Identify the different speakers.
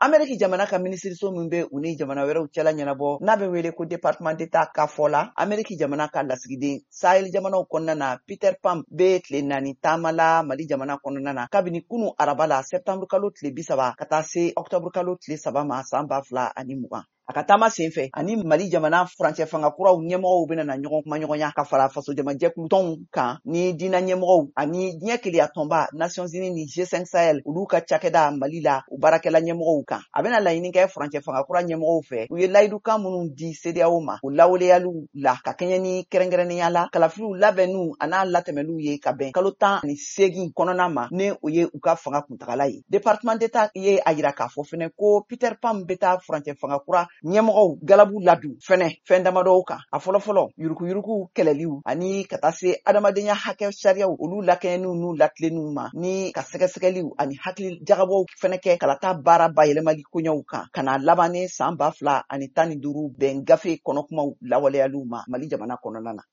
Speaker 1: Ameriki jamana ka minisiriso min bɛ u ni jamana wɛrɛw cɛla ɲɛnabɔ, n'a bɛ wele ko Département d'État ka fɔ la, Ameriki jamana ka lasigiden Sahel jamanaw kɔnɔna na, Peter Pham, bɛ tile 4 taama la Mali jamana kɔnɔna na kabini kunu araba la, septembre kalo tile 30 ka taa se octobre kalo tile 3 ma san 2020. A ka taama senfɛ, ani Mali jamana furancɛ fanga kuraw ɲɛmɔgɔw bɛna na ɲɔgɔn kumaɲɔgɔnya, ka fara fasojamajɛkulu tɔnw kan ni diinɛ ɲɛmɔgɔw ani diɲɛ keleya tɔnba Nations Unies ni G5 Sahel, olu ka cakɛda Mali la, u baarakɛla ɲɛmɔgɔw kan. A bɛna laɲini kɛ furancɛ fanga kura ɲɛmɔgɔw fɛ, u ye layidukan minnu di CEDEAO ma, o lawaleyaliw la, ka kɛɲɛ ni kɛrɛnkɛrɛnnenya la kalafiliw labɛnniw an'a latɛmɛliw ye ka bɛn kalo 18 kɔnɔna ma, ni o ye u ka fanga kuntagala ye. Département d'État ye a yira k'a fɔ fɛnɛ ko Peter Pham bɛ taa furancɛ fanga kura ɲɛmɔgɔw galabu ladon fɛnɛ fɛn damadɔw kan. A fɔlɔfɔlɔ, yurukuyuruku kɛlɛliw ani ka taa se adamadenya hakɛ sariyaw, olu lakɛɲɛniw n'u latilenniw ma, ni ka sɛgɛsɛgɛliw ani hakili jagabɔw fɛnɛ kɛ kalata baara bayɛlɛmali koɲɛw kan, ka na laban ni san 2015 bɛn gafe kɔnɔkumaw lawaleyaliw ma Mali jamana kɔnɔna na.